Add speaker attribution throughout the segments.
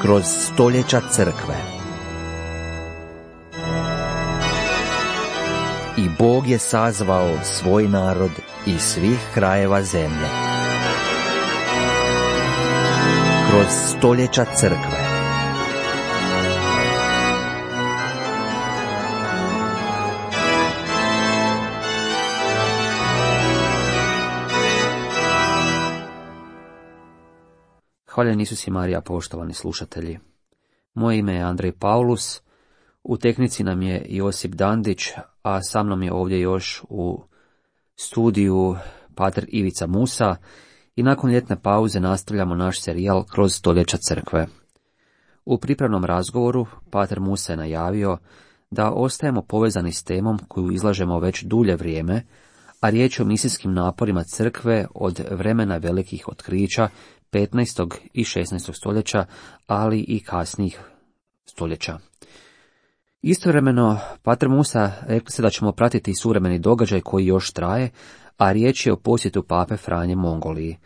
Speaker 1: kroz stoljeća crkve. I Bog je sazvao svoj narod iz svih krajeva zemlje. Kroz stoljeća crkve.
Speaker 2: Hvaljen Isus i Marija, poštovani slušatelji. Moje ime je Andrej Paulus, u tehnici nam je Josip Dandić, a sa mnom je ovdje još u studiju pater Ivica Musa i nakon ljetne pauze nastavljamo naš serijal Kroz stoljeća crkve. U pripremnom razgovoru pater Musa je najavio da ostajemo povezani s temom koju izlažemo već dulje vrijeme, a riječ je o misijskim naporima crkve od vremena velikih otkrića 15. i 16. stoljeća, ali i kasnijih stoljeća. Istovremeno, pater Musa rekli se da ćemo pratiti suvremeni događaj koji još traje, a riječ je o posjetu pape Franje Mongoliji.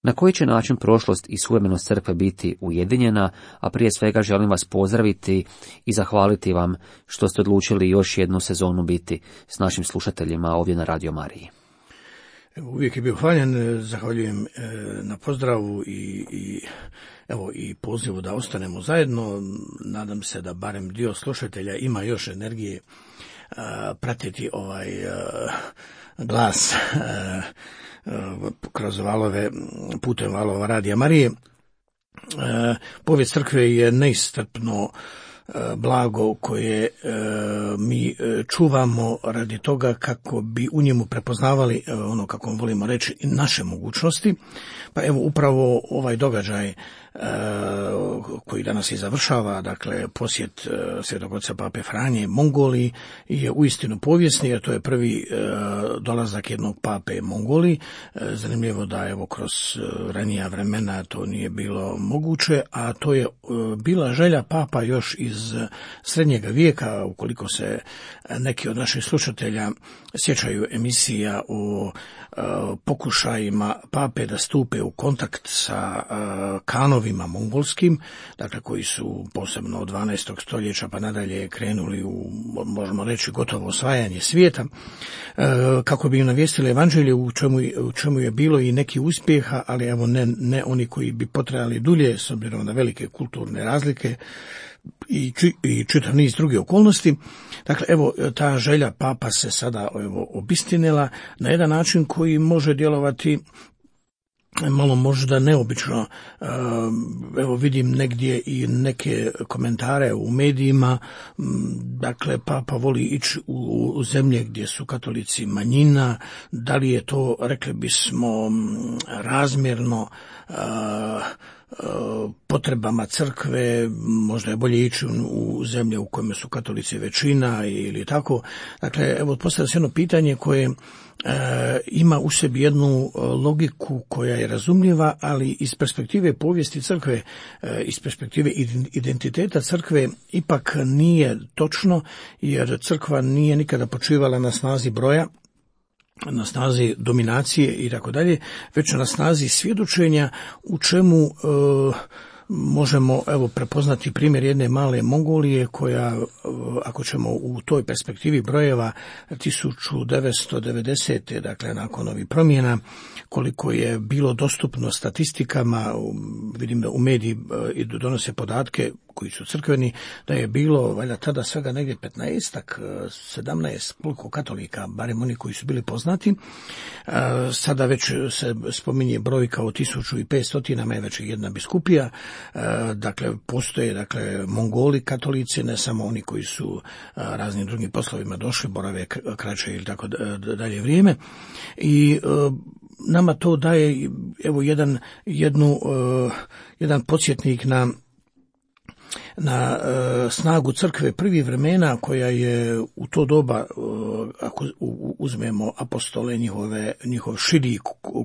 Speaker 2: Na koji će način prošlost i suvremenost crkve biti ujedinjena, a prije svega želim vas pozdraviti i zahvaliti vam što ste odlučili još jednu sezonu biti s našim slušateljima ovdje na Radio Mariji.
Speaker 3: Uvijek je bio hvaljen, zahvaljujem na pozdravu i pozivu da ostanemo zajedno. Nadam se da barem dio slušatelja ima još energije pratiti ovaj glas kroz valove, putem valova Radija Marije. Povijest crkve je neiscrpno blago koje mi čuvamo radi toga kako bi u njemu prepoznavali, ono kako volimo reći, naše mogućnosti. Pa evo upravo ovaj događaj koji danas i završava, dakle posjet Svetog oca pape Franje Mongoliji je uistinu povijesni, jer to je prvi dolazak jednog pape Mongoliji. Zanimljivo da evo kroz ranija vremena to nije bilo moguće, a to je bila želja papa još iz srednjega vijeka. Ukoliko se neki od naših slušatelja sjećaju emisija o pokušajima pape da stupe u kontakt sa kanovima mongolskim, dakle koji su posebno od 12. stoljeća pa nadalje krenuli u, možemo reći, gotovo osvajanje svijeta, kako bi im navijestili evanđelje u čemu je bilo i neki uspjeha, ali evo ne oni koji bi potrajali dulje s obzirom na velike kulturne razlike i čitav niz drugih okolnosti. Dakle, evo, ta želja papa se sada obistinila na jedan način koji može djelovati malo možda neobično. Evo vidim negdje i neke komentare u medijima. Dakle, papa voli ići u zemlje gdje su katolici manjina. Da li je to, rekli bismo, razmjerno potrebama crkve? Možda je bolje ići u zemlje u kojima su katolici većina ili tako. Dakle, evo postavlja se jedno pitanje koje ima u sebi jednu logiku koja je razumljiva, ali iz perspektive povijesti crkve, iz perspektive identiteta crkve ipak nije točno, jer crkva nije nikada počivala na snazi broja, na snazi dominacije i tako dalje, već na snazi svjedočenja, u čemu možemo evo prepoznati primjer jedne male Mongolije koja, ako ćemo u toj perspektivi brojeva 1990. dakle nakon ovih promjena, koliko je bilo dostupno statistikama, vidim da u mediji donose podatke koji su crkveni, da je bilo valjda tada svega negdje 15-ak, 17 koliko katolika, barem oni koji su bili poznati. Sada već se spominje brojka od 1500, je već jedna biskupija. Dakle, postoje Mongoli katolici, ne samo oni koji su raznim drugim poslovima došli, borave kraće ili tako dalje vrijeme. I nama to daje evo jedan podsjetnik na snagu crkve prvih vremena, koja je u to doba, ako uzmemo apostole, njihov širi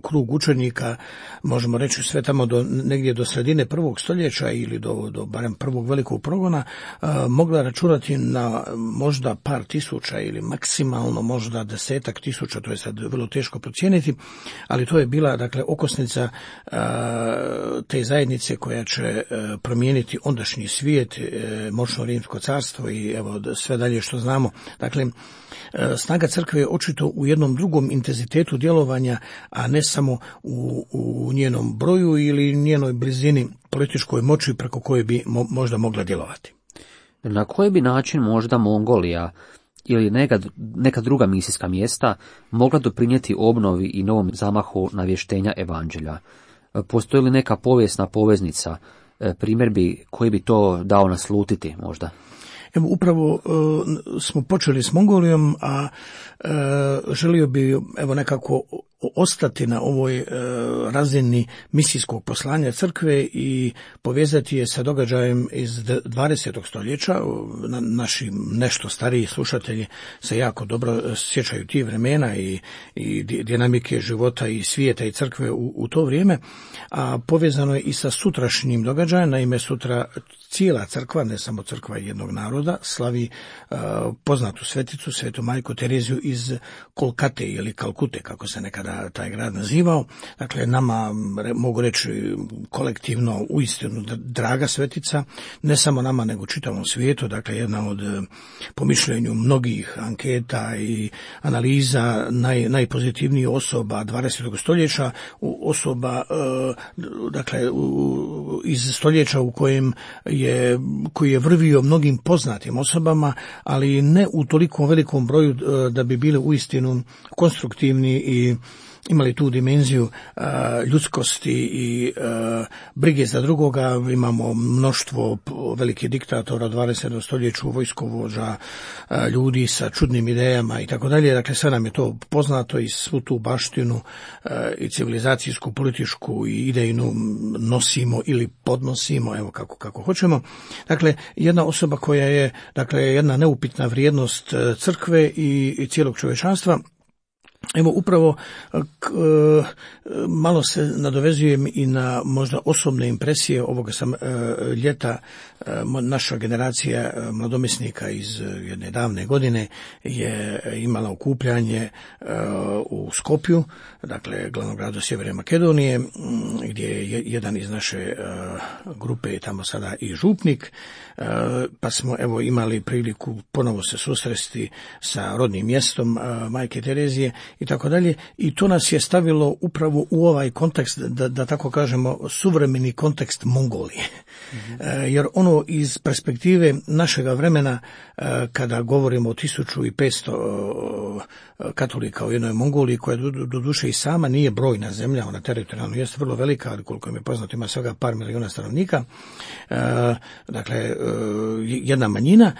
Speaker 3: krug učenika, možemo reći sve tamo negdje do sredine prvog stoljeća ili do barem prvog velikog progona, mogla računati na možda par tisuća ili maksimalno možda 10-ak tisuća, to je sad vrlo teško procijeniti, ali to je bila, dakle, okosnica te zajednice koja će promijeniti ondašnji svijet, moćno Rimsko carstvo i evo sve dalje što znamo. Dakle, snaga crkve je očito u jednom drugom intenzitetu djelovanja, a ne samo u njenom broju ili njenoj blizini političkoj moći preko koje bi možda mogla djelovati.
Speaker 2: Na koji bi način možda Mongolija ili neka druga misijska mjesta mogla doprinijeti obnovi i novom zamahu navještenja evanđelja? Postoji li neka povijesna poveznica, primjer koji bi to dao naslutiti možda?
Speaker 3: Evo, upravo smo počeli s Mongolijom, a želio bi nekako ostati na ovoj razini misijskog poslanja crkve i povezati je sa događajem iz 20. stoljeća. Naši nešto stariji slušatelji se jako dobro sjećaju tih vremena i dinamike života i svijeta i crkve u to vrijeme, a povezano je i sa sutrašnjim događajem. Naime, sutra cijela crkva, ne samo crkva jednog naroda, slavi poznatu sveticu, svetu majku Tereziju iz Kolkate ili Kalkute, kako se nekada taj grad nazivao. Dakle, nama, mogu reći kolektivno, uistinu draga svetica, ne samo nama nego čitavom svijetu. Dakle, jedna od, po mišljenju mnogih anketa i analiza, najpozitivnijih osoba 20. stoljeća, osoba dakle iz stoljeća u koji je vrvio mnogim poznatim osobama, ali ne u toliko velikom broju da bi bili uistinu konstruktivni i imali tu dimenziju ljudskosti i brige za drugoga. Imamo mnoštvo velikih diktatora 20. stoljeću, vojskovođa, ljudi sa čudnim idejama i tako dalje. Dakle, sve nam je to poznato i svu tu baštinu i civilizacijsku, političku i idejnu nosimo ili podnosimo, evo kako hoćemo. Dakle, jedna osoba koja je, dakle, jedna neupitna vrijednost crkve i cijelog čovječanstva. Evo, upravo malo se nadovezujem i na možda osobne impresije ovoga sam ljeta. Naša generacija mladomisnika iz jedne davne godine je imala okupljanje u Skopju, dakle glavnom gradu Sjeverne Makedonije, gdje je jedan iz naše grupe tamo sada i župnik, pa smo evo imali priliku ponovo se susresti sa rodnim mjestom majke Terezije i tako dalje, i to nas je stavilo upravo u ovaj kontekst, da tako kažemo, suvremeni kontekst Mongolije. Jer ono iz perspektive našega vremena, kada govorimo o 1500 katolika u jednoj Mongoliji, koja doduše i sama nije brojna zemlja, ona teritorijalno jeste vrlo velika, ali koliko mi je poznato ima svega par milijuna stanovnika, dakle jedna manjina,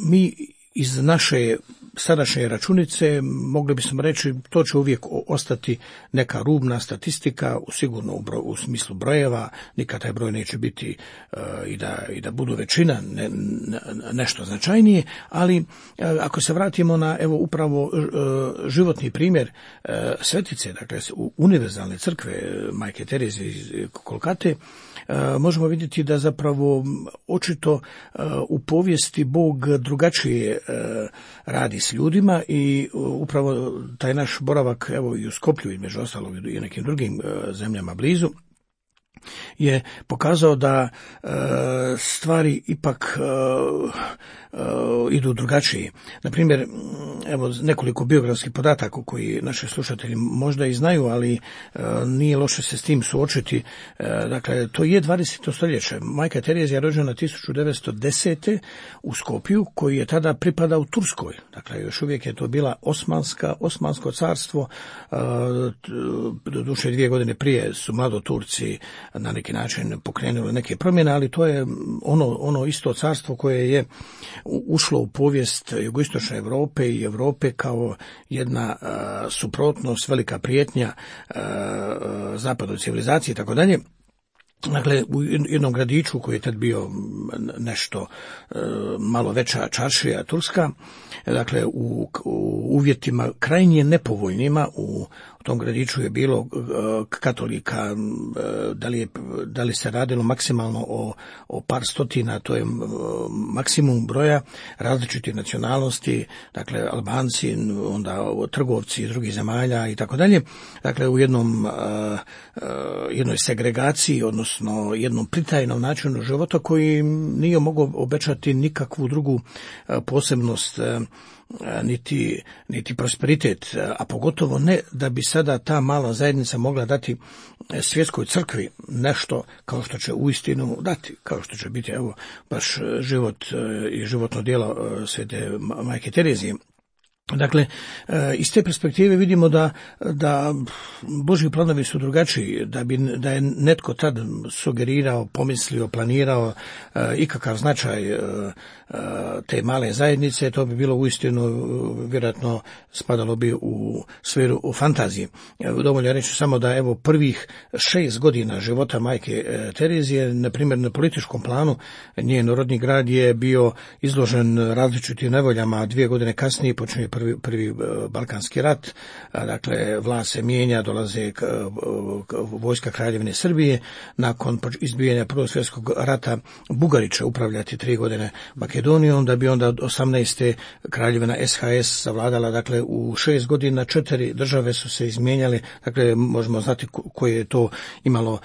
Speaker 3: mi iz naše sadašnje računice mogli bismo reći to će uvijek ostati neka rubna statistika, sigurno u smislu brojeva, nikad taj broj neće biti i da budu većina, nešto značajnije, ali ako se vratimo na evo upravo životni primjer svetice, dakle univerzalne crkve majke Terezije iz Kolkate, možemo vidjeti da zapravo očito u povijesti Bog drugačije radi s ljudima i upravo taj naš boravak evo i u Skoplju između ostalog i nekim drugim zemljama blizu je pokazao da stvari ipak idu drugačije. Na primjer, evo nekoliko biografskih podataka koji naši slušatelji možda i znaju, ali nije loše se s tim suočiti. Dakle, to je 20. stoljeće. Majka Terezija je rođena 1910. u Skopju, koji je tada pripadao Turskoj. Dakle, još uvijek je to bila Osmansko carstvo. Doduše 2 godine prije su mlado Turci na neki način pokrenuli neke promjene, ali to je ono isto carstvo koje je ušlo u povijest jugoistočne Europe i Europe kao jedna suprotnost, velika prijetnja zapadnoj civilizaciji i tako dalje. Dakle, u jednom gradiću koji je tad bio nešto malo veća čaršija turska, dakle u uvjetima krajnje nepovoljnima, u tom gradiću je bilo katolika, da li se radilo maksimalno o par stotina, to je maksimum broja različitih nacionalnosti, dakle Albanci, onda trgovci iz drugih zemalja i tako dalje. Dakle, u jednoj segregaciji, odnosno jednom pritajnom načinu života koji nije mogao obećati nikakvu drugu posebnost niti prosperitet, a pogotovo ne da bi sada ta mala zajednica mogla dati svjetskoj crkvi nešto kao što će uistinu dati, kao što će biti evo baš život i životno djelo Svete Majke Terezije. Dakle, iz te perspektive vidimo da Božji planovi su drugačiji, da je netko tad sugerirao, pomislio, planirao ikakav značaj te male zajednice, to bi bilo uistinu vjerojatno spadalo bi u sferu u fantaziji. Dovoljno reći samo da evo prvih 6 godina života Majke Terezije, na primjer na političkom planu, njen rodni grad je bio izložen različitim nevoljama. 2 godine kasnije počinje prvi Balkanski rat, dakle vlast se mijenja, dolaze vojska Kraljevine Srbije, nakon izbijanja Prvog svjetskog rata Bugari će upravljati 3 godine Makedonijom, da bi onda 18. Kraljevina SHS zavladala. Dakle u 6 godina 4 države su se izmijenjale, dakle možemo znati koje je to imalo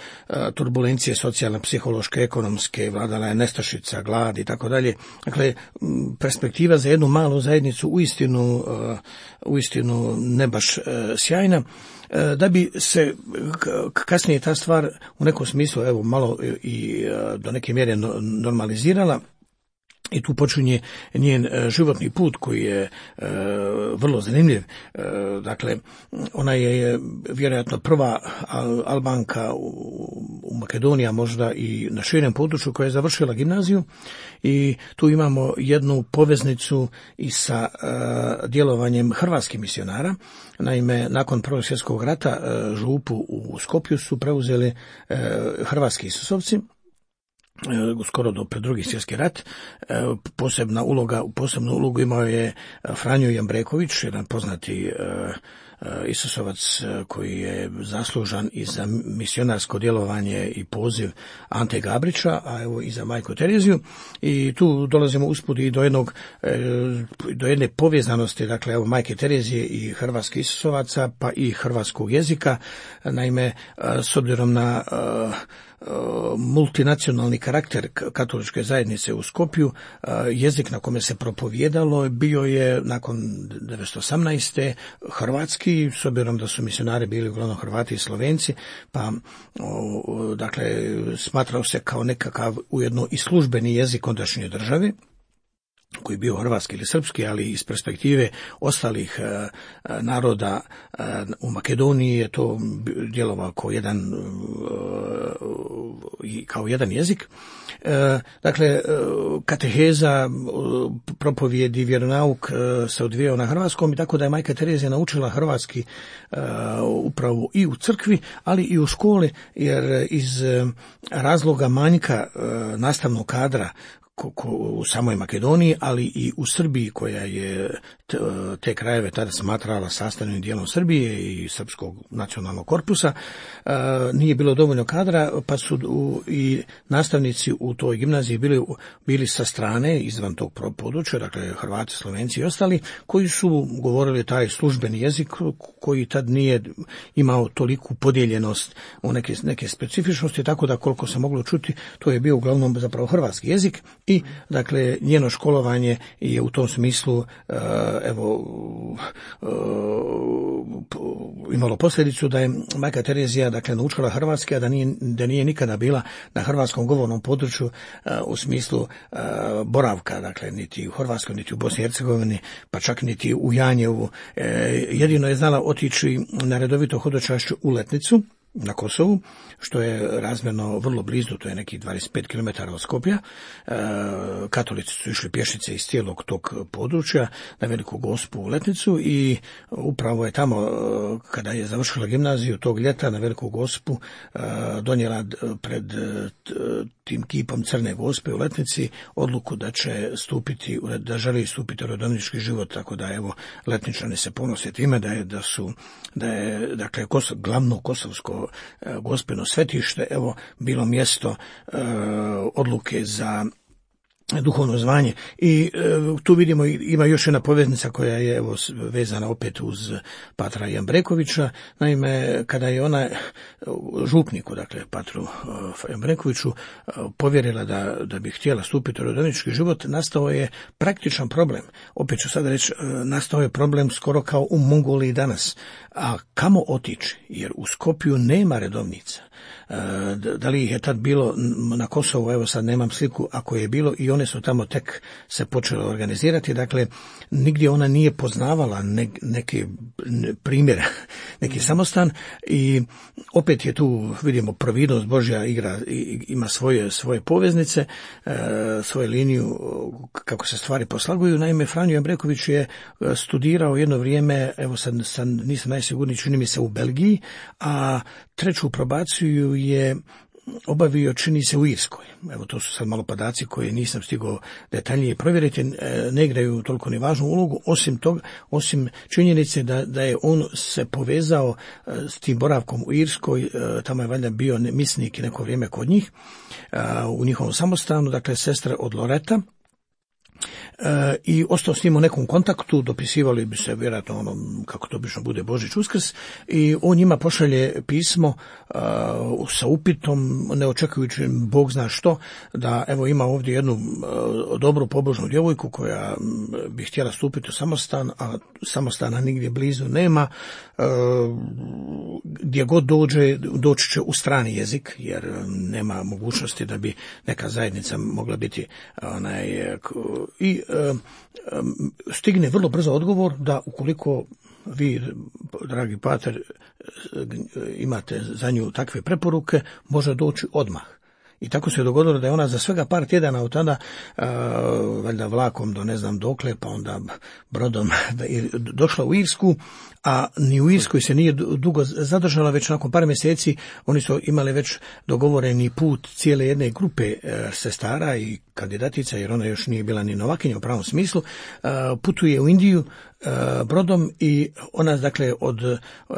Speaker 3: turbulencije socijalne, psihološke, ekonomske, vladala je nestašica, glad i tako dalje. Dakle, perspektiva za jednu malu zajednicu uistinu ne baš sjajna, da bi se kasnije ta stvar u nekom smislu evo malo i do neke mjere normalizirala. I tu počinje njen životni put koji je vrlo zanimljiv. Dakle, ona je vjerojatno prva Albanka u Makedoniji, možda i na širem području, koja je završila gimnaziju, i tu imamo jednu poveznicu i sa djelovanjem hrvatskih misionara. Naime, nakon Prvog svjetskog rata župu u Skopju su preuzeli hrvatski Isusovci, skoro do pred Drugi svjetski rat. Posebnu ulogu imao je Franjo Jambreković, jedan poznati Isusovac koji je zaslužan i za misionarsko djelovanje i poziv Ante Gabrića, a evo i za Majku Tereziju. I tu dolazimo usput i do jedne povezanosti, dakle evo Majke Terezije i hrvatskih Isusovaca, pa i hrvatskog jezika. Naime, s obzirom na multinacionalni karakter katoličke zajednice u Skopju, jezik na kome se propovijedalo bio je nakon 1918. hrvatski, s obzirom da su misionari bili uglavnom Hrvati i Slovenci, pa dakle smatrao se kao nekakav ujedno i službeni jezik ondašnje države, koji je bio hrvatski ili srpski, ali iz perspektive ostalih naroda u Makedoniji je to djelovao kao jedan jezik. Dakle, kateheza, propovjedi, vjeronauk se odvijao na hrvatskom, i tako da je Majka Terezija naučila hrvatski upravo i u crkvi, ali i u školi, jer iz razloga manjka nastavnog kadra u samoj Makedoniji, ali i u Srbiji, koja je te krajeve tada smatrala sastavnim dijelom Srbije i srpskog nacionalnog korpusa, nije bilo dovoljno kadra, pa su i nastavnici u toj gimnaziji bili sa strane, izvan tog područja, dakle Hrvati, Slovenci i ostali, koji su govorili taj službeni jezik koji tad nije imao toliku podijeljenost u neke specifičnosti, tako da koliko se moglo čuti, to je bio uglavnom zapravo hrvatski jezik. I dakle njeno školovanje je u tom smislu imalo posljedicu da je Majka Terezija dakle naučila hrvatski, a da nije nikada bila na hrvatskom govornom području u smislu boravka, dakle niti u Hrvatskoj, niti u Bosni i Hercegovini, pa čak niti u Janjevu. Jedino je znala otići na redovito hodočašće u Letnicu, na Kosovu, što je razmjerno vrlo blizu, to je nekih 25 km od Skopja. Katolici su išli pješice iz cijelog tog područja na Veliku Gospu u Letnicu i upravo je tamo, kada je završila gimnaziju tog ljeta na Veliku Gospu, donijela pred tim kipom Crne Gospe u Letnici odluku da će stupiti, da želi stupiti u redovnički život, tako da evo Letničani se ponose time da je dakle glavno kosovsko gospeno svetište evo bilo mjesto odluke za duhovno zvanje. I tu vidimo, ima još jedna poveznica koja je evo vezana opet uz patra Jambrekovića. Naime, kada je ona župniku, dakle patru Jambrekoviću, povjerila da bi htjela stupiti u redovnički život, nastao je praktičan problem. Opet ću sada reći, nastao je problem skoro kao u Mongoliji danas. A kamo otići? Jer u Skopju nema redovnica. Da li ih je tad bilo na Kosovu, evo sad nemam sliku, ako je bilo, i one su tamo tek se počele organizirati, dakle nigdje ona nije poznavala neki primjer, neki samostan, i opet je tu, vidimo, providnost Božja ima svoje poveznice, svoju liniju kako se stvari poslaguju. Naime, Franjo Jambreković je studirao jedno vrijeme, evo sad nisam najsigurniji, čini mi se u Belgiji, a treću probaciju je obavio, čini se, u Irskoj. Evo, to su sad malo podaci koje nisam stigao detaljnije provjeriti, ne igraju toliko ni važnu ulogu, osim činjenice da je on se povezao s tim boravkom u Irskoj, tamo je valjda bio misnik i neko vrijeme kod njih, u njihovom samostanu, dakle sestra od Loreta, i ostao s njim u nekom kontaktu, dopisivali bi se vjerojatno kako to obično bude, Božić, Uskrs, i on njima pošalje pismo sa upitom, ne očekujući Bog zna što, da evo ima ovdje jednu dobru pobožnu djevojku koja bi htjela stupiti u samostan, a samostana nigdje blizu nema, gdje god doći će u strani jezik, jer nema mogućnosti da bi neka zajednica mogla biti i stigne vrlo brzo odgovor da ukoliko vi, dragi pater, imate za nju takve preporuke, može doći odmah. I tako se je dogodilo da je ona za svega par tjedana od tada, valjda vlakom do ne znam dokle, pa onda brodom došla u Irsku, a ni u Irskoj se nije dugo zadržala, već nakon par mjeseci oni su imali već dogovoreni put cijele jedne grupe sestara i kandidatica, jer ona još nije bila ni novakinja u pravom smislu, putuje u Indiju brodom i ona, dakle,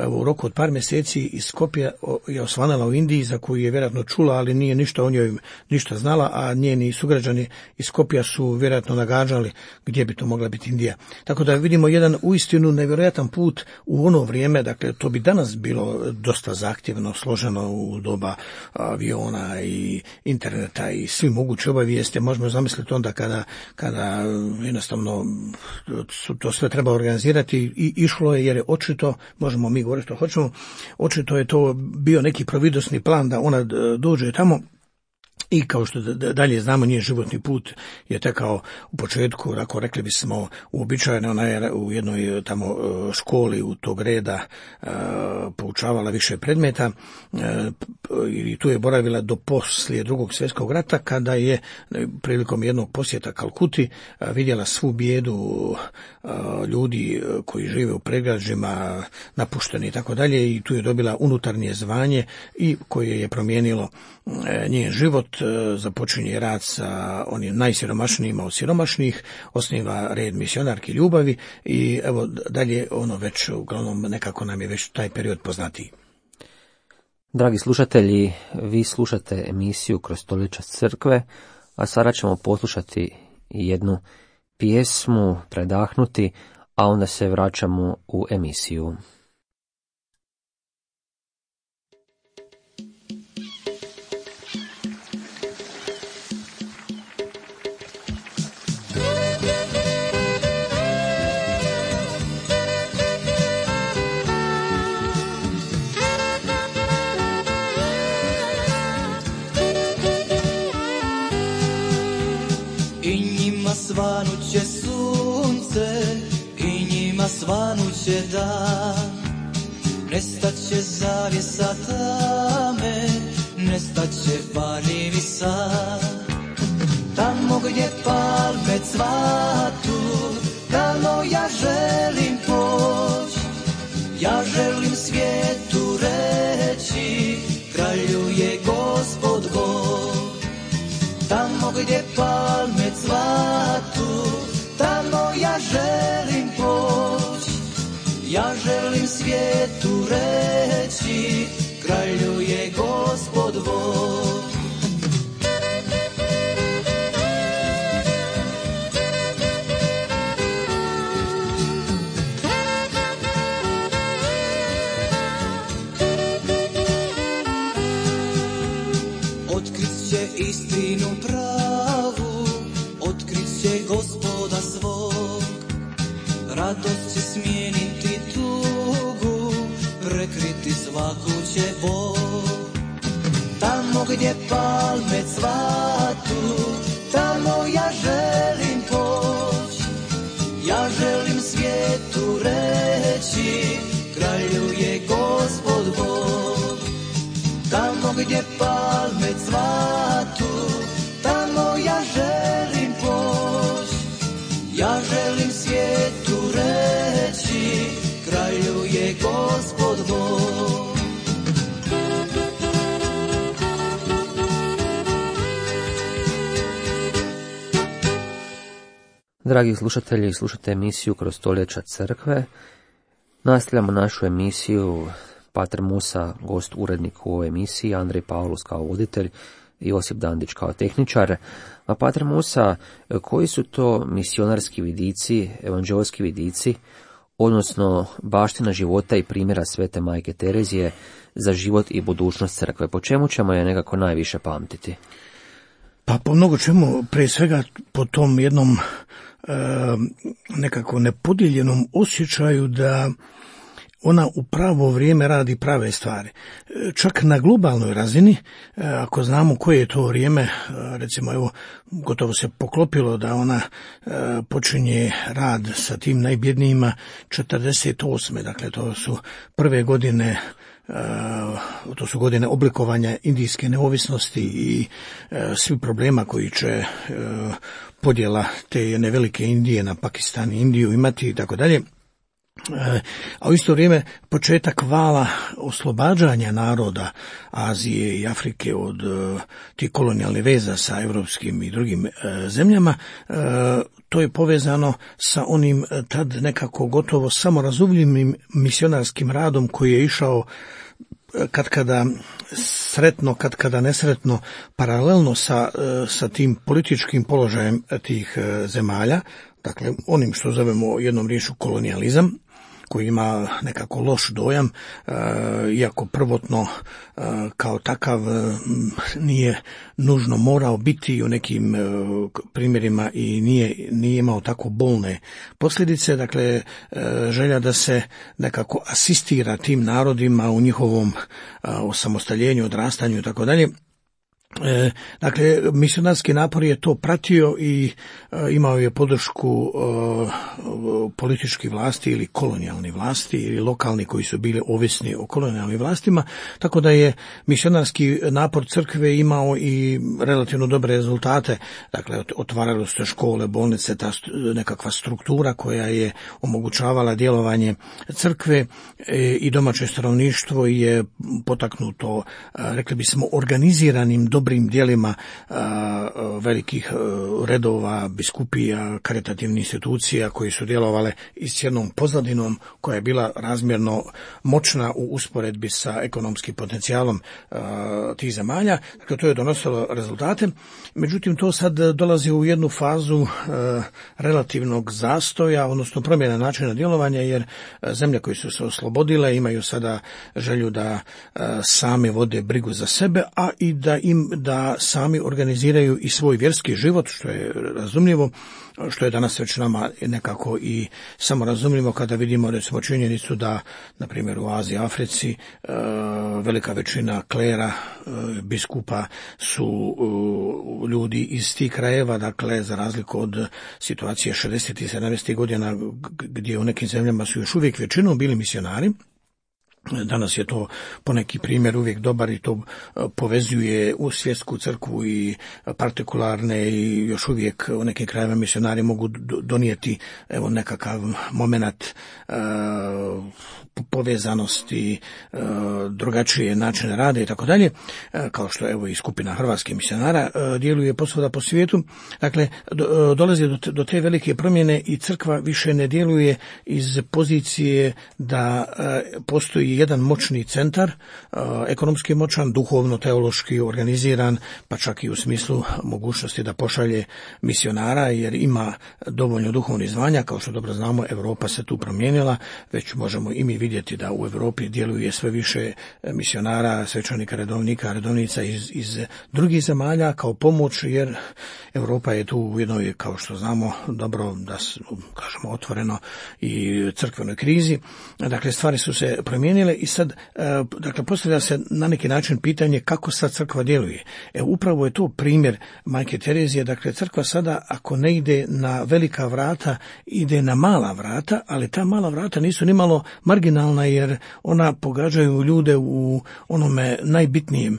Speaker 3: u roku od par mjeseci iz Skopja je osvanala u Indiji, za koju je vjerojatno čula, ali nije ništa o njoj ništa znala, a njeni sugrađani iz Skopja su vjerojatno nagađali gdje bi to mogla biti Indija. Tako da vidimo jedan uistinu nevjerojatan put u ono vrijeme, dakle to bi danas bilo dosta zahtjevno, složeno u doba aviona i interneta i svi mogući obavijesti. Možemo zamisliti onda kada jednostavno to sve treba organizirati, i išlo je, jer je očito, možemo mi govoriti što hoćemo, očito je to bio neki providosni plan da ona dođe tamo. I kao što dalje znamo, njen životni put je tekao u početku, ako rekli bismo, uobičajeno. Ona je u jednoj tamo školi u tog reda poučavala više predmeta i tu je boravila do poslije Drugog svjetskog rata, kada je prilikom jednog posjeta Kalkuti vidjela svu bijedu ljudi koji žive u predgrađima, napušteni i tako dalje, i tu je dobila unutarnje zvanje i koje je promijenilo njen život. Započinje rad sa onim najsiromašnijima od siromašnih, osniva red misionarki ljubavi i evo dalje ono već uglavnom nekako nam je već taj period poznatiji.
Speaker 2: Dragi slušatelji, vi slušate emisiju Kroz stoljeća crkve, a sada ćemo poslušati jednu pjesmu, predahnuti, a onda se vraćamo u emisiju.
Speaker 4: Svanuće sunce i njima svanuće dan, nestaće zavjesa ta nestaće varljivi sad. Tamo gdje palme cvatu, tamo ja želim poć. Ja želim svijetu reći, kraljuje Gospod Bog. Tamo gdje palme cvatu, tamo ja želim poć. Ja želim svijetu reći, kraljuje Gospod Bog. Otkrit će istinu pravu, otkrit će Gospoda svog. Radost će smijeniti tugu, prekriti svaku će bol. Tamo gdje palme cvatu, tamo ja želim poć. Ja želim svijetu reći, kraljuje Gospod Bog. Tamo gdje palme cvatu, tamo ja želim poć. Ja želim svijetu reći, kraljuje Gospod Bog.
Speaker 2: Dragi slušatelji, slušate emisiju Kroz stoljeća crkve. Nastavljamo našu emisiju. Pater Musa, gost urednik u ovoj emisiji, Andrej Paulus kao voditelj i Josip Dandić kao tehničar. A Pater Musa, koji su to misionarski vidici, evanđeoski vidici, odnosno baština života i primjera Svete Majke Terezije za život i budućnost crkve? Po čemu ćemo je nekako najviše pamtiti?
Speaker 3: Pa po mnogo čemu, prije svega po tom jednom nekako nepodijeljenom osjećaju da ona u pravo vrijeme radi prave stvari. Čak na globalnoj razini, ako znamo koje je to vrijeme, recimo evo, gotovo se poklopilo da ona počinje rad sa tim najbjednijima 48. Dakle, to su prve godine, to su godine oblikovanja indijske neovisnosti i svi problema koji će podjela te jedne velike Indije na Pakistan i Indiju imati i tako dalje. A u isto vrijeme početak vala oslobađanja naroda Azije i Afrike od tih kolonijalnih veza sa europskim i drugim zemljama, to je povezano sa onim tad nekako gotovo samorazumljivim misionarskim radom koji je išao katkada sretno, katkada nesretno, paralelno sa tim političkim položajem tih zemalja, dakle onim što zovemo jednom riječju kolonijalizam, koji ima nekako loš dojam, iako prvotno kao takav nije nužno morao biti u nekim primjerima i nije imao tako bolne posljedice. Dakle, želja da se nekako asistira tim narodima u njihovom osamostaljenju, odrastanju i tako dalje. Dakle, misionarski napor je to pratio i imao je podršku političkih vlasti ili kolonijalnih vlasti ili lokalni koji su bili ovisni o kolonijalnim vlastima, tako da je misionarski napor crkve imao i relativno dobre rezultate. Dakle, otvaralo se škole, bolnice, ta nekakva struktura koja je omogućavala djelovanje crkve i domaće stanovništvo je potaknuto, rekli bismo, organiziranim dobrim djelima velikih redova, biskupija, karitativnih institucija koji su djelovale i s jednom pozadinom koja je bila razmjerno moćna u usporedbi sa ekonomskim potencijalom tih zemalja. Dakle, to je donosilo rezultate. Međutim, to sad dolazi u jednu fazu relativnog zastoja, odnosno promjena načina djelovanja, jer zemlje koje su se oslobodile imaju sada želju da same vode brigu za sebe, a i da sami organiziraju i svoj vjerski život, što je razumljivo, što je danas već nama nekako i samorazumljivo kada vidimo recimo činjenicu da, na primjer, u Aziji, Africi velika većina klera, biskupa su ljudi iz tih krajeva, dakle, za razliku od situacije 60. i 70. godina gdje u nekim zemljama su još uvijek većinom bili misionari. Danas je to poneki primjer uvijek dobar i to povezuje u svjetsku crkvu i partikularne i još uvijek u nekim krajevima misionari mogu donijeti nekakav moment povezanosti, drugačije načine rada i tako dalje, kao što i skupina hrvatskih misionara djeluje posvuda po svijetu. Dakle, dolazi do te velike promjene i crkva više ne djeluje iz pozicije da postoji jedan moćni centar, ekonomski moćan, duhovno, teološki organiziran, pa čak i u smislu mogućnosti da pošalje misionara, jer ima dovoljno duhovnih zvanja. Kao što dobro znamo, Europa se tu promijenila, već možemo i mi vidjeti da u Europi djeluje sve više misionara, svećenika, redovnica iz drugih zemalja kao pomoć, jer Europa je tu u jednoj, kao što znamo dobro, da kažemo otvoreno, i crkvenoj krizi. Dakle, stvari su se promijenile i sad, dakle, postavlja se na neki način pitanje kako sad crkva djeluje. Upravo je to primjer Majke Terezije. Dakle, crkva sada, ako ne ide na velika vrata, ide na mala vrata, ali ta mala vrata nisu nimalo marginalna, jer ona pogađaju ljude u onome najbitnijem.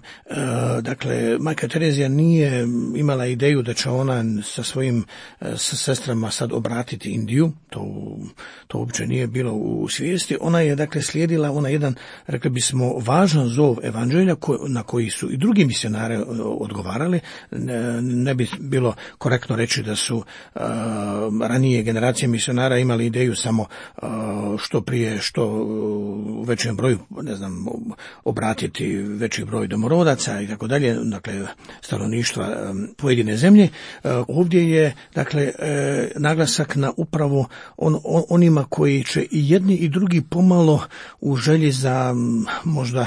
Speaker 3: Dakle, Majka Terezija nije imala ideju da će ona sa svojim sestrama sad obratiti Indiju, to uopće nije bilo u svijesti. Ona je, dakle, slijedila jedan, rekli bismo, važan zov evanđelja na koji su i drugi misionari odgovarali. Ne bi bilo korektno reći da su ranije generacije misionara imali ideju samo što prije, što u većem broju, obratiti veći broj domorodaca i tako dalje, dakle, stanovništva pojedine zemlje. Ovdje je, dakle, naglasak na upravo onima koji će i jedni i drugi pomalo u želji za možda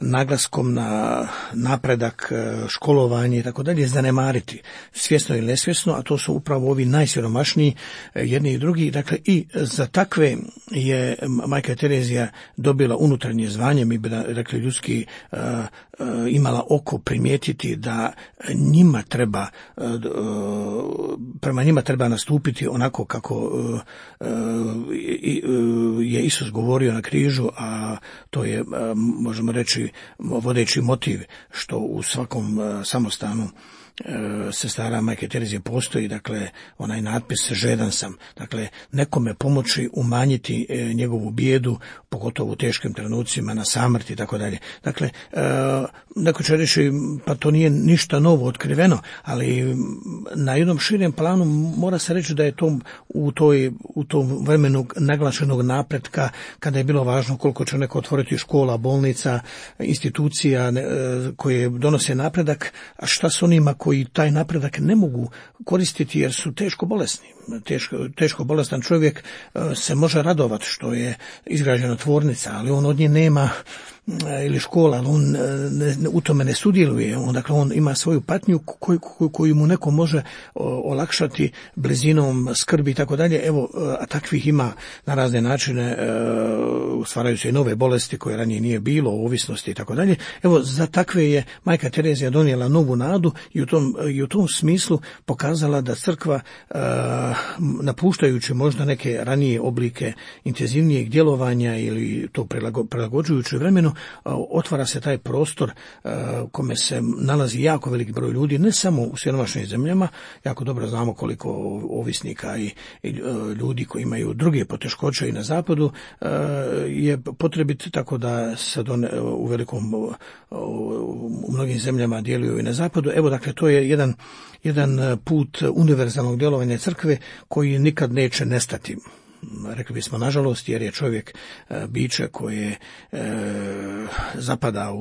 Speaker 3: naglaskom na napredak, školovanje i tako dalje zanemariti, svjesno ili nesvjesno, a to su upravo ovi najsiromašniji, jedni i drugi. Dakle, i za takve je Majka Terezija dobila unutarnje zvanje, mi bi rekli ljudski, imala oko primijetiti da njima treba, prema njima treba nastupiti onako kako je Isus govorio na križu, a to je, možemo reći, vodeći motiv što u svakom samostanu sestara Majke Terezije postoji, dakle, onaj natpis žedan sam, dakle, nekome pomoći umanjiti njegovu bijedu, pogotovo u teškim trenucima, na samrti i tako dalje. Dakle, neko će reći, pa to nije ništa novo otkriveno, ali na jednom širem planu mora se reći da je to u tom vremenu naglašenog napretka, kada je bilo važno koliko će neko otvoriti škola, bolnica, institucija koje donose napredak, a šta s onima koji taj napredak ne mogu koristiti jer su teško bolesni. Teško bolestan čovjek se može radovati što je izgrađena tvornica, ali on od nje nema, ili škola, ali on u tome ne sudjeluje. Dakle, on ima svoju patnju koju mu neko može olakšati blizinom skrbi i tako dalje. Evo, a takvih ima na razne načine, stvaraju se i nove bolesti koje ranije nije bilo, ovisnosti i tako dalje. Evo, za takve je Majka Terezija donijela novu nadu i u tom smislu pokazala da crkva, napuštajući možda neke ranije oblike intenzivnijeg djelovanja ili to prilagođujući vremenu, otvara se taj prostor kome se nalazi jako velik broj ljudi, ne samo u siromašnim zemljama. Jako dobro znamo koliko ovisnika i ljudi koji imaju druge poteškoće i na zapadu je potrebit, tako da sad u mnogim zemljama djeluju i na zapadu. Evo, dakle, to je jedan put univerzalnog djelovanja crkve koji nikad neće nestati. Rekli bismo nažalost, jer je čovjek biće koje zapada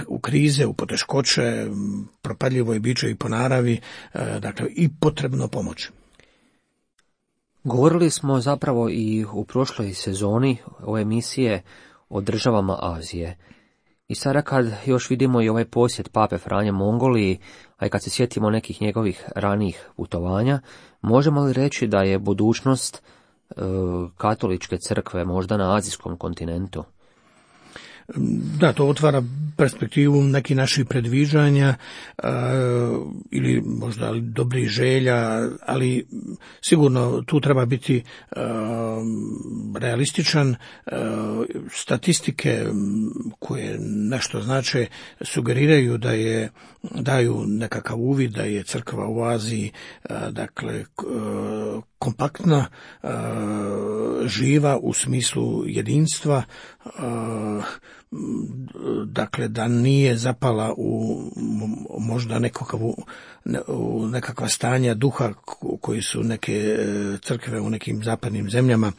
Speaker 3: u krize, u poteškoće, propadljivo je biće i po naravi, dakle, i potrebno pomoć.
Speaker 2: Govorili smo zapravo i u prošloj sezoni ove emisije o državama Azije. I sada kad još vidimo i ovaj posjet Pape Franje Mongoliji, a i kad se sjetimo nekih njegovih ranijih putovanja, možemo li reći da je budućnost katoličke crkve možda na azijskom kontinentu?
Speaker 3: Da, to otvara perspektivu nekih naših predviđanja ili možda dobrih želja, ali sigurno tu treba biti realističan. Statistike koje nešto znače sugeriraju daju nekakav uvid da je crkva u Aziji dakle kompaktna, živa u smislu jedinstva, dakle da nije zapala u možda nekakva stanja duha koji su neke crkve u nekim zapadnim zemljama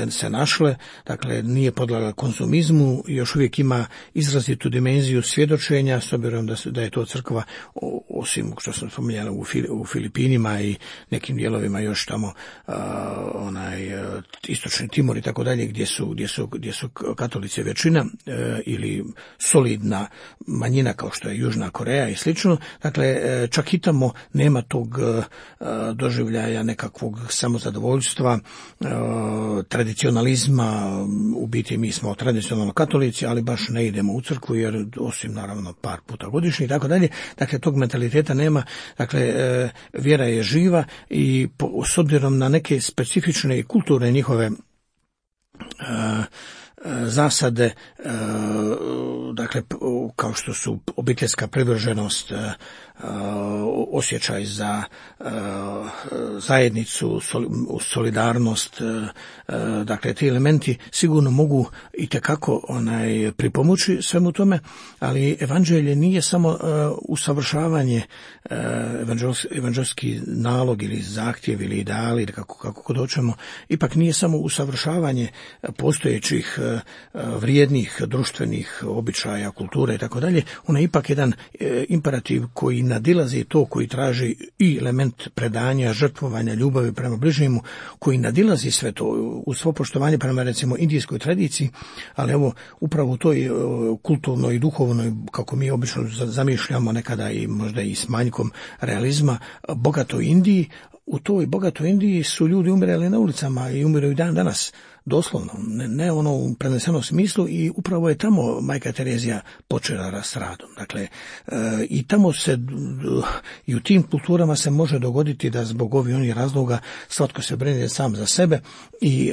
Speaker 3: se našle, dakle nije podlegla konzumizmu, još uvijek ima izrazitu dimenziju svjedočenja, s obzirom da je to crkva, osim što sam spominjala u Filipinima i nekim dijelovima još tamo istočni Timor i tako dalje, gdje su katolici većina ili solidna manjina kao što je Južna Koreja i slično. Dakle, čak i tamo nema tog doživljaja nekakvog samozadovoljstva, tradicionalizma. U biti mi smo tradicionalno katolici, ali baš ne idemo u crkvu jer osim naravno par puta godišnje i tako dalje. Dakle, tog mentaliteta nema. Dakle, vjera je živa i s obzirom na neke specifične i kulturne njihove zasade, dakle kao što su obiteljska privrženost, osjećaj za zajednicu, solidarnost, dakle ti elementi sigurno mogu itekako pripomoći svemu tome, ali evanđelje nije samo usavršavanje, evanđelski nalog ili zahtjev ili ideali, kako doćemo, ipak nije samo usavršavanje postojećih vrijednih društvenih običaja, kulture i tako dalje. Ono je ipak jedan imperativ koji nadilazi to, koji traži i element predanja, žrtvovanja, ljubavi prema bližnjemu, koji nadilazi sve to u svo poštovanje prema recimo indijskoj tradiciji, ali evo upravo u toj kulturnoj i duhovnoj, kako mi obično zamišljamo nekada i možda i s manjkom realizma, bogatoj Indiji. U toj bogatoj Indiji su ljudi umirali na ulicama i umiraju dan danas, doslovno, ne ono u prenesenom smislu, i upravo je tamo majka Terezija počela s radom. Dakle, i tamo i u tim kulturama se može dogoditi da zbog ovih onih razloga svatko se brine sam za sebe i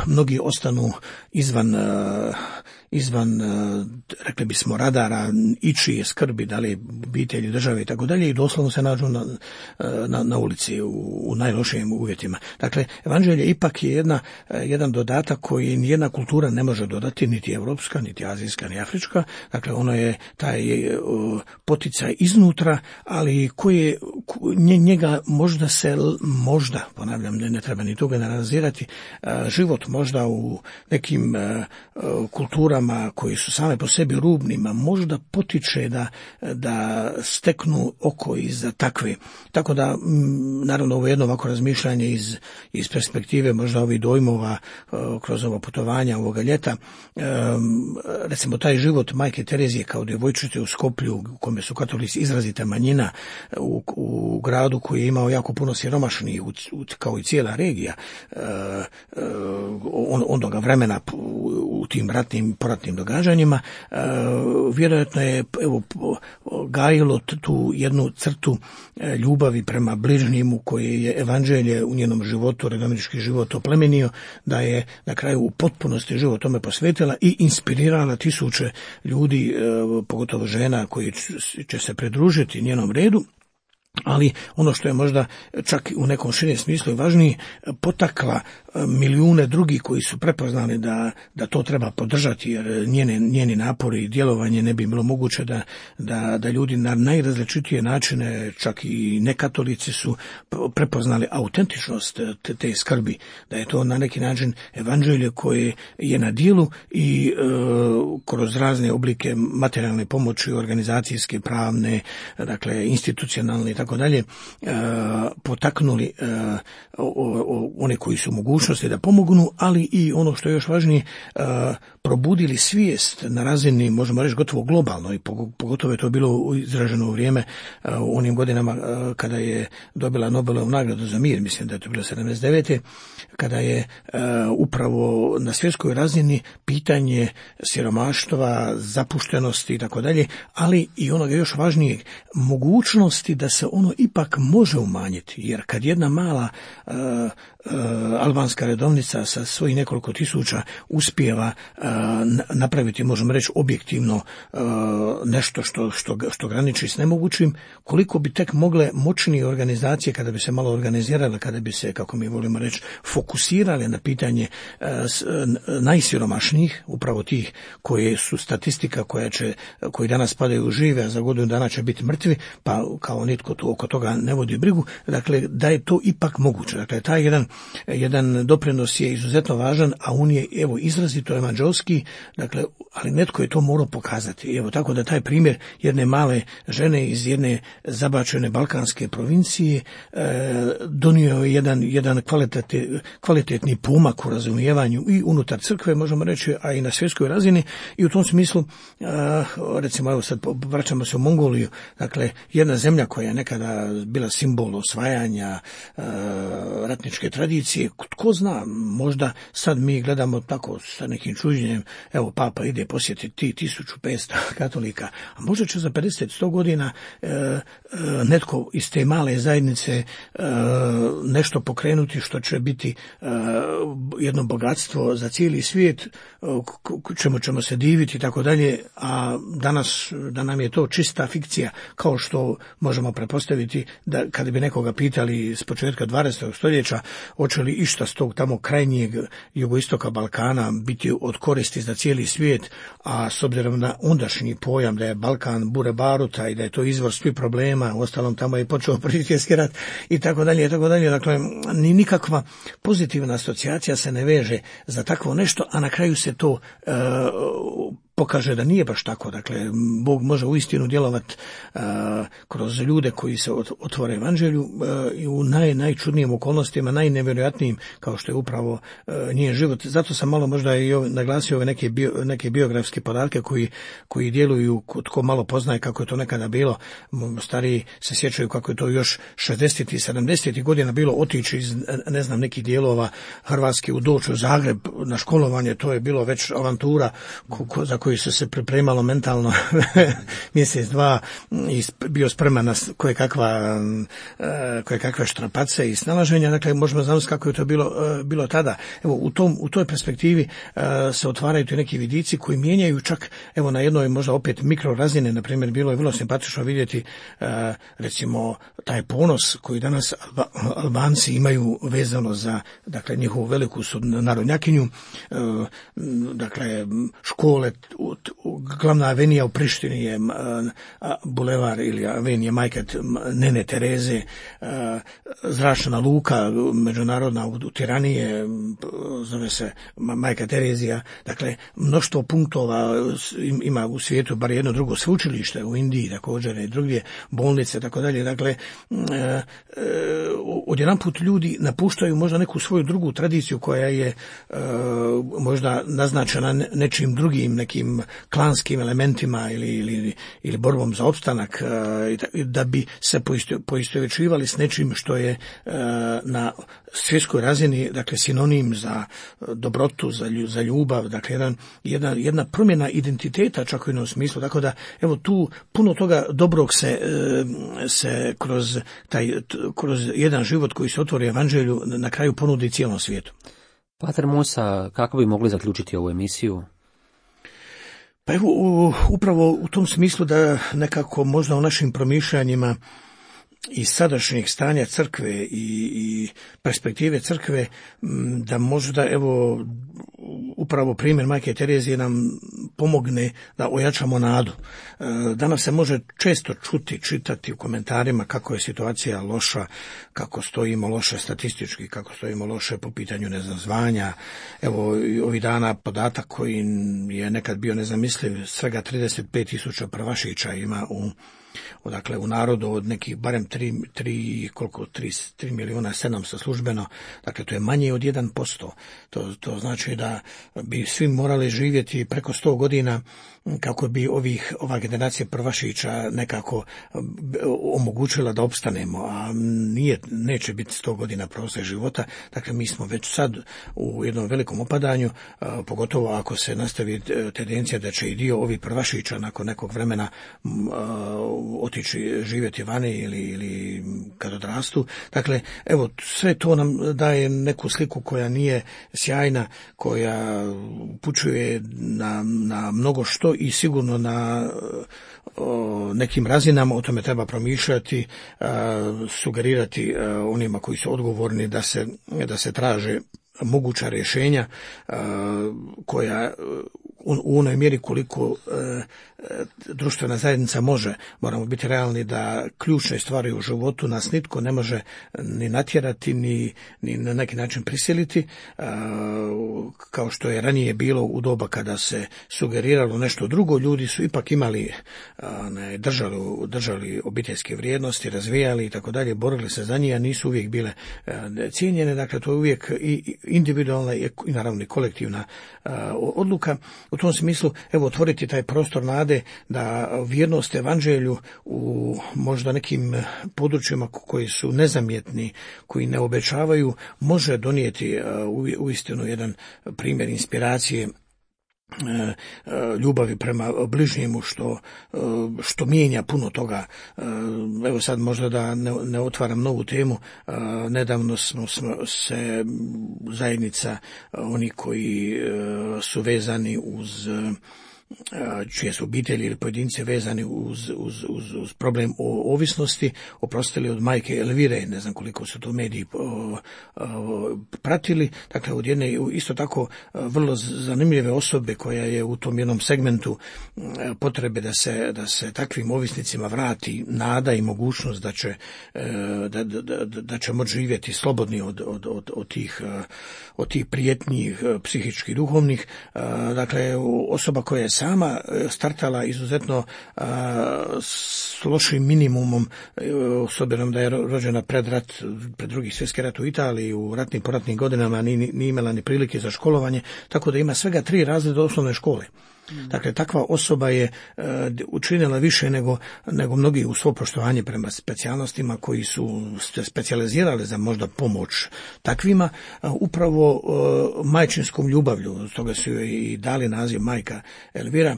Speaker 3: mnogi ostanu izvan, rekli bismo, radara ičije skrbi, da li obitelji, države i tako dalje, i doslovno se nađu na ulici u najlošijim uvjetima. Dakle, evanđelje ipak je jedan dodatak koji nijedna kultura ne može dodati, niti evropska, niti azijska, ni afrička. Dakle, ono je taj poticaj iznutra, ali njega možda, ponavljam, ne treba ni to generalizirati, život možda u nekim kulturama koji su same po sebi rubnima možda potiče da steknu oko iza takve. Tako da, naravno, ovo je jedno ovako razmišljanje iz perspektive možda ovih dojmova kroz ovo putovanja ovoga ljeta. Recimo, taj život majke Terezije kao djevojčice u Skoplju, u kome su katolici izrazita manjina, u gradu koji je imao jako puno siromašnih, kao i cijela regija onoga vremena u tim poratnim događanjima, vjerojatno je gajilo tu jednu crtu ljubavi prema bližnjemu koje je evanđelje u njenom životu, redovnički život oplemenio, da je na kraju u potpunosti život tome posvetila i inspirirala tisuće ljudi, pogotovo žena koji će se pridružiti njenom redu. Ali ono što je možda čak u nekom širem smislu i važniji, potakla milijune drugih koji su prepoznali da to treba podržati, jer njeni napori i djelovanje ne bi bilo moguće da ljudi na najrazličitije načine, čak i nekatolici, su prepoznali autentičnost te skrbi, da je to na neki način evanđelje koje je na djelu i kroz razne oblike materijalne pomoći, organizacijske, pravne, dakle institucionalne i tako dalje, potaknuli one koji su mogućnosti mogućnosti da pomognu, ali i ono što je još važnije, probudili svijest na razini, možemo reći, gotovo globalno, i pogotovo je to bilo izraženo u vrijeme u onim godinama kada je dobila Nobelovu nagradu za mir, mislim da je to bilo 79. kada je upravo na svjetskoj razini pitanje siromaštva, zapuštenosti i tako dalje, ali i onoga još važnijeg, mogućnosti da se ono ipak može umanjiti, jer kad jedna mala albanska redovnica sa svojih nekoliko tisuća uspijeva napraviti, možemo reći, objektivno nešto što graniči s nemogućim, koliko bi tek mogle moćnije organizacije, kada bi se malo organizirale, kada bi se, kako mi volimo reći, fokusirale na pitanje najsiromašnijih, upravo tih koje su statistika koji danas padaju žive, a za godinu dana će biti mrtvi, pa kao nitko tu oko toga ne vodi brigu, dakle da je to ipak moguće. Dakle, taj jedan doprinos je izuzetno važan, a on je, evo, izrazito evanđelski, dakle, ali netko je to morao pokazati. Evo, tako da taj primjer jedne male žene iz jedne zabačene balkanske provincije donio je jedan kvalitetni pomak u razumijevanju i unutar crkve, možemo reći, a i na svjetskoj razini, i u tom smislu, recimo, evo sad vraćamo se u Mongoliju, dakle, jedna zemlja koja je nekada bila simbol osvajanja, ratničke tradicije, tko zna, možda sad mi gledamo tako sa nekim čuđenjem, evo, Papa ide posjetiti 1500 katolika, a možda će za 50-100 godina netko iz te male zajednice nešto pokrenuti što će biti jedno bogatstvo za cijeli svijet, čemu ćemo se diviti i tako dalje, a danas da nam je to čista fikcija, kao što možemo pretpostaviti da kada bi nekoga pitali s početka 20. stoljeća hoće li išta s tog tamo krajnjeg jugoistoka Balkana biti od koristi za cijeli svijet, a s obzirom na ondašnji pojam da je Balkan bure baruta i da je to izvor svih problema, uostalom tamo je počeo Prvi svjetski rat i tako dalje, dakle ni nikakva pozitivna asocijacija se ne veže za takvo nešto, a na kraju se to pokaže da nije baš tako. Dakle, Bog može uistinu djelovati kroz ljude koji se otvore evanđelju i u najčudnijim okolnostima, najnevjerojatnijim, kao što je upravo njen život. Zato sam malo možda i naglasio ove neke biografske podatke koji djeluju, tko malo poznaje kako je to nekada bilo. Stariji se sjećaju kako je to još 60. i 70. godina bilo, otići iz, ne znam, nekih dijelova Hrvatske doći u Zagreb na školovanje, to je bilo već avantura za koju se pripremalo mentalno mjesec, dva, i bio spreman na koje kakve štrapace i snalaženja. Dakle, možemo znati kako je to bilo tada. Evo, u toj perspektivi se otvaraju tu neki vidici koji mijenjaju čak, evo, na jednoj možda opet mikrorazine. Na primjer, bilo je vrlo simpatično vidjeti recimo taj ponos koji danas Albanci imaju vezano za, dakle, njihovu veliku narodnjakinju, dakle, škole, glavna avenija u Prištini je bulevar ili avenija Majke Nene Tereze, zračna luka međunarodna u Tirani je, zove se Majka Terezija. Dakle, mnoštvo punktova ima u svijetu, bar jedno drugo sveučilište u Indiji također i drugdje, bolnice, tako dalje. Dakle, odjedanput ljudi napuštaju možda neku svoju drugu tradiciju koja je možda naznačena nečim drugim, nekim klanskim elementima ili borbom za opstanak, da bi se poistovjećivali s nečim što je na svjetskoj razini, dakle, sinonim za dobrotu, za ljubav, dakle jedna promjena identiteta čak u jednom smislu. Tako da, evo, tu puno toga dobrog se kroz jedan život koji se otvori evanđelju na kraju ponudi cijelom svijetu.
Speaker 2: Pater Musa, kako bi mogli zaključiti ovu emisiju?
Speaker 3: Pa evo, upravo u tom smislu da nekako možda u našim promišljanjima iz sadašnjeg stanja crkve i perspektive crkve, da možda, evo, upravo primjer Majke Terezije nam pomogne da ojačamo nadu. Danas se može često čitati u komentarima kako je situacija loša, kako stojimo loše statistički, kako stojimo loše po pitanju, ne znam, zvanja. Evo, ovih dana podatak koji je nekad bio nezamisliv, svega 35.000 prvašića ima Dakle, u narodu od nekih barem 3 milijuna 700 službeno, dakle to je manje od 1%. To znači da bi svi morali živjeti preko 100 godina kako bi ova generacija prvašića nekako omogućila da opstanemo, a neće biti 100 godina prosjek života. Dakle, mi smo već sad u jednom velikom opadanju, pogotovo ako se nastavi tendencija da će i dio ovih prvašića nakon nekog vremena otići živjeti vani ili kad odrastu. Dakle, evo, sve to nam daje neku sliku koja nije sjajna, koja upućuje na mnogo što i sigurno na nekim razinama o tome treba promišljati, sugerirati onima koji su odgovorni da se traže moguća rješenja koja u onoj mjeri koliko društvena zajednica može. Moramo biti realni da ključne stvari u životu nas nitko ne može ni natjerati, ni na neki način prisiliti, kao što je ranije bilo u doba kada se sugeriralo nešto drugo. Ljudi su ipak imali, držali obiteljske vrijednosti, razvijali i tako dalje, borili se za njih, a nisu uvijek bile cijenjene. Dakle, to je uvijek i individualna i naravno i kolektivna odluka. U tom smislu, evo, otvoriti taj prostor nade da vjernost evanđelju u možda nekim područjima koji su nezamjetni, koji ne obećavaju, može donijeti uistinu jedan primjer inspiracije, ljubavi prema bližnjemu, što mijenja puno toga. Evo sad možda da ne otvaram novu temu, nedavno smo se zajednica, oni koji su vezani uz čije su obitelji ili pojedinci vezani uz problem o ovisnosti, oprostili od majke Elvire, ne znam koliko su to mediji pratili, dakle od jedne isto tako vrlo zanimljive osobe koja je u tom jednom segmentu potrebe da se takvim ovisnicima vrati nada i mogućnost da će moći živjeti slobodni od tih prijetnji psihičkih, duhovnih. Dakle, osoba koja je sama startala izuzetno s lošim minimumom, s obzirom da je rođena pred drugi svjetski rat u Italiji, u ratnim poratnim godinama nije imala ni prilike za školovanje, tako da ima svega 3 razreda osnovne škole. Dakle, takva osoba je učinila više nego mnogi u svo poštovanje prema specijalnostima koji su se specijalizirali za možda pomoć takvima, upravo majčinskom ljubavlju. Stoga su joj i dali naziv Majka Elvira,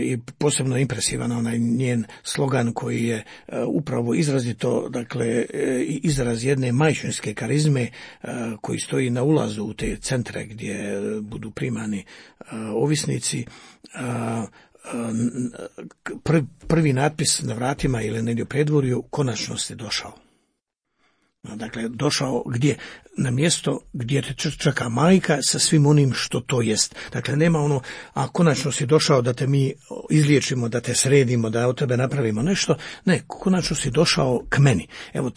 Speaker 3: i posebno impresivan onaj njen slogan koji je upravo izrazito, dakle, izraz jedne majčinske karizme koji stoji na ulazu u te centre gdje budu primani ovisnici. Prvi natpis na vratima ili negdje u predvorju: konačnost je došao. Dakle, došao gdje? Na mjesto gdje te čeka majka sa svim onim što to jest. Dakle, nema ono, a konačno si došao da te mi izliječimo, da te sredimo, da od tebe napravimo nešto. Ne, konačno si došao k meni. Evo,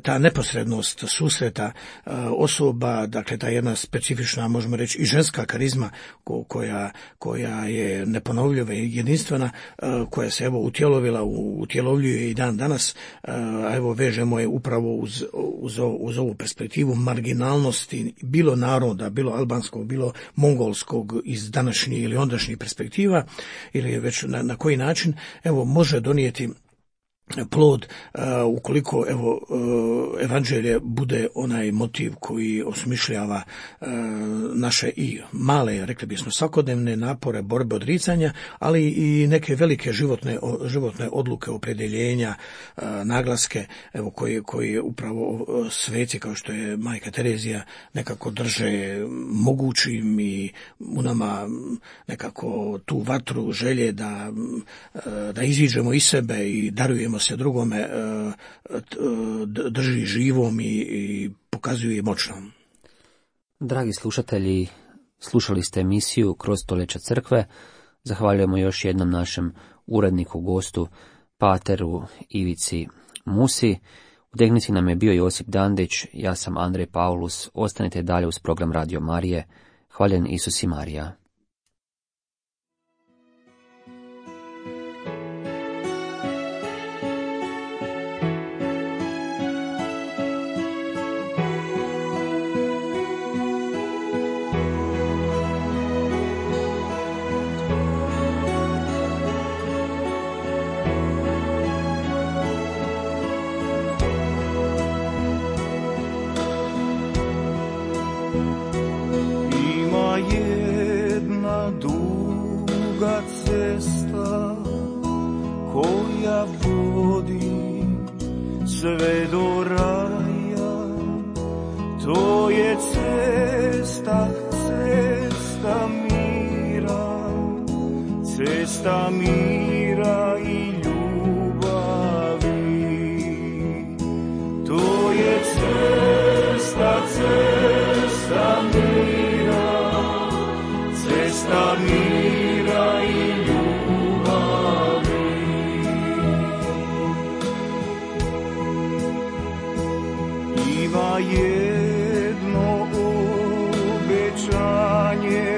Speaker 3: ta neposrednost susreta osoba, dakle, ta jedna specifična, možemo reći, i ženska karizma koja je neponovljiva i jedinstvena, koja se evo utjelovljuje i dan danas, a evo vežemo je upravo uz ovu perspektivu marginalnosti bilo naroda, bilo albanskog, bilo mongolskog iz današnje ili ondašnjih perspektiva, ili već na koji način evo može donijeti plod ukoliko evo evanđelje bude onaj motiv koji osmišljava naše i male, rekli bismo, svakodnevne napore, borbe, odricanja, ali i neke velike životne odluke, opredjeljenja, naglaske, evo koji upravo sveci kao što je majka Terezija nekako drže mogućim i u nama nekako tu vatru želje da iziđemo iz sebe i darujemo se drugome, drži živom i pokazuje moćnom.
Speaker 2: Dragi slušatelji, slušali ste emisiju Kroz stoljeća crkve. Zahvaljujemo još jednom našem uredniku, gostu, pateru Ivici Musi. U tehnici nam je bio Josip Dandić, ja sam Andrej Paulus. Ostanite dalje uz program Radio Marije. Hvaljen Isus i Marija.
Speaker 5: koja vodi sve do raja, to je cesta, cesta mira, cesta mira i ljubavi. To je cesta, cesta mira, cesta mira i ljubavi. Ima jedno obećanje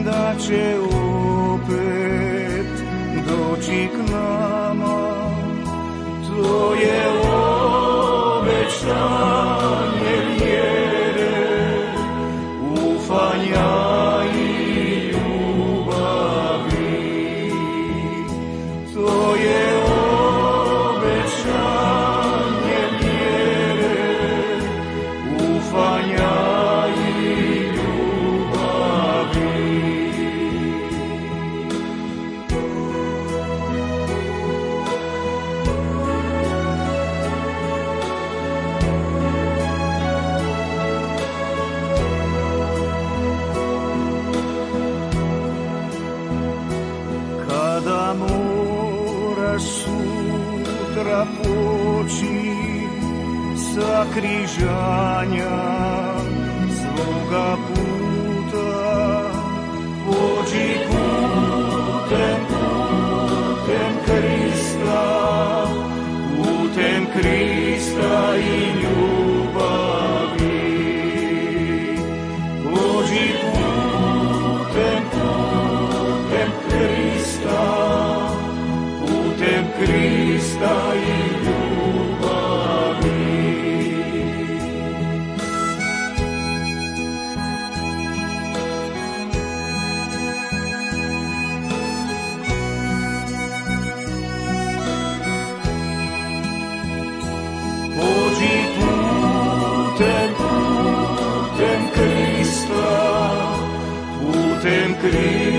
Speaker 5: da će opet doći k nama. To je obećanje vjere, ufanja i ljubavi. To je obećanje vjere, ufanja i ljubavi. Kada moraš sutra poći sa križanja svoga puta, pođi putem Krista, putem Krista i ljubavi. Pođi putem Krista, putem Krista i ljubavi. Pođi putem Krista, putem Krista